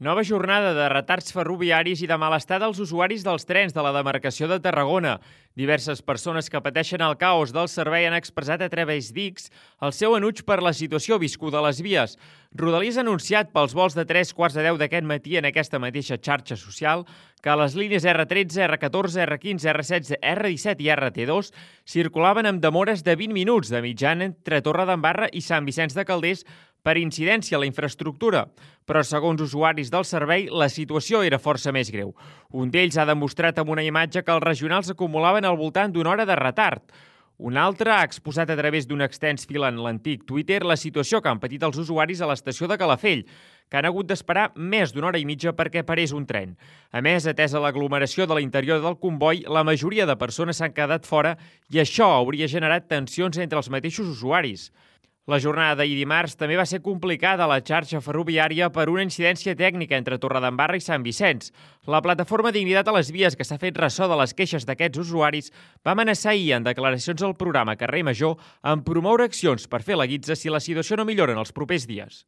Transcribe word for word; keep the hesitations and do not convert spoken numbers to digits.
Nova jornada de retards ferroviaris i de malestar dels usuaris dels trens de la demarcació de Tarragona. Diverses persones que pateixen el caos del servei han expressat a través d'X el seu enuig per la situació viscuda a les vies. Rodalies ha anunciat pels vols de tres quarts de deu d'aquest matí en aquesta mateixa xarxa social que les línies erre tretze, erre catorze, erre quinze, erre setze, erre disset i erre te dos circulaven amb demores de vint minuts de mitjana entre Torredembarra i Sant Vicenç de Calders per incidència a la infraestructura, però segons usuaris del servei, la situació era força més greu. Un d'ells ha demostrat amb una imatge que els regionals acumulaven al voltant d'una hora de retard. Un altre ha exposat a través d'un extens fil en l'antic Twitter la situació que han patit els usuaris a l'estació de Calafell, que han hagut d'esperar més d'una hora i mitja perquè parés un tren. A més, atesa l'aglomeració de l'interior del comboi, la majoria de persones s'han quedat fora i això hauria generat tensions entre els mateixos usuaris. La jornada d'ahir dimarts també va ser complicada a la xarxa ferroviària per una incidència tècnica entre Torredembarra i Sant Vicenç. La plataforma Dignitat a les Vies, que s'ha fet ressò de les queixes d'aquests usuaris, va amenaçar ahir en declaracions al programa Carrer Major amb promoure accions per fer la guitza si la situació no millora en els propers dies.